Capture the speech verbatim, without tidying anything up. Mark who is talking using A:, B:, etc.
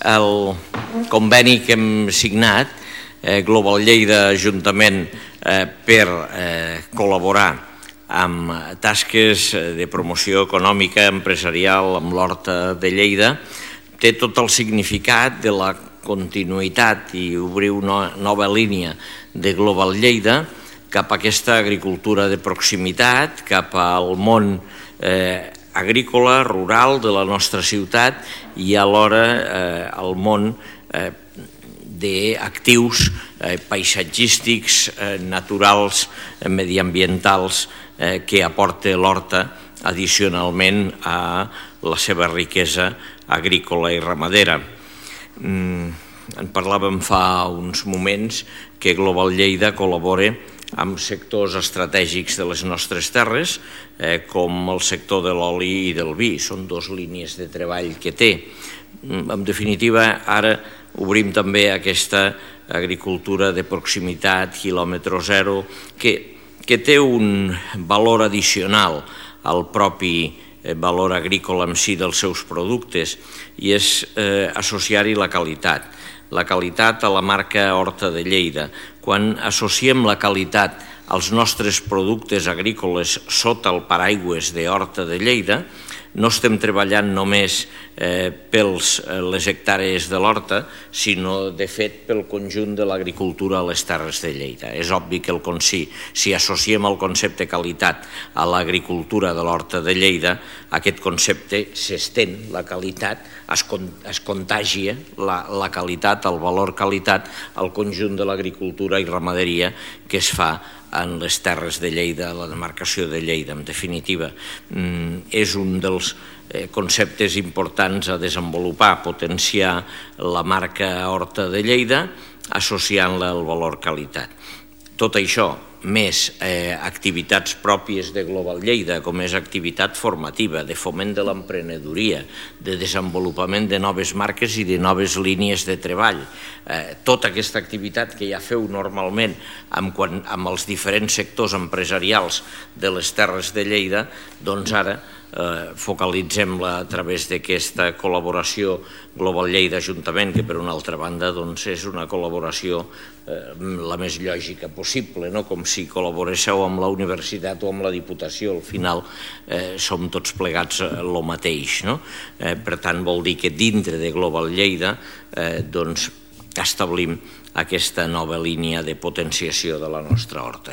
A: el conveni que hem signat, Global Lleida Ajuntament, per col·laborar amb tasques de promoció econòmica empresarial amb l'Horta de Lleida, té tot el significat de la continuïtat i obrir una nova línia de Global Lleida cap a aquesta agricultura de proximitat, cap al món agrícola, rural de la nostra ciutat i alhora al món d'actius paisatgístics, naturals, mediambientals que aporta l'horta addicionalment a la seva riquesa agrícola i ramadera. En parlàvem fa uns moments que Global Lleida col·labora amb sectors estratègics de les nostres terres, com el sector de l'oli i del vi. Són dues línies de treball que té. En definitiva, ara obrim també aquesta agricultura de proximitat, quilòmetre zero, que té un valor addicional al propi valor agrícola en si dels seus productes i és associar-hi la qualitat. La qualitat a la marca Horta de Lleida. Quan associem la qualitat als nostres productes agrícoles sota el paraigües de Horta de Lleida, no estem treballant només per les hectàrees de l'horta, sinó, de fet, pel conjunt de l'agricultura a les terres de Lleida. És obvi que si associem el concepte qualitat a l'agricultura de l'Horta de Lleida, aquest concepte s'estén, la qualitat, es contagia la qualitat, el valor qualitat, al conjunt de l'agricultura i ramaderia que es fa en les terres de Lleida, la demarcació de Lleida. En definitiva, és un dels conceptes importants a desenvolupar, potenciar la marca Horta de Lleida associant-la al valor qualitat. Tot això, més activitats pròpies de Global Lleida, com és activitat formativa, de foment de l'emprenedoria, de desenvolupament de noves marques i de noves línies de treball. Tota aquesta activitat que ja feu normalment amb els diferents sectors empresarials de les terres de Lleida, doncs ara focalitzem-la a través d'aquesta col·laboració Global Lleida Ajuntament, que per una altra banda és una col·laboració la més lògica possible, com si col·laboréssiu amb la universitat o amb la Diputació. Al final som tots plegats el mateix. Per tant, vol dir que dintre de Global Lleida establim aquesta nova línia de potenciació de la nostra horta.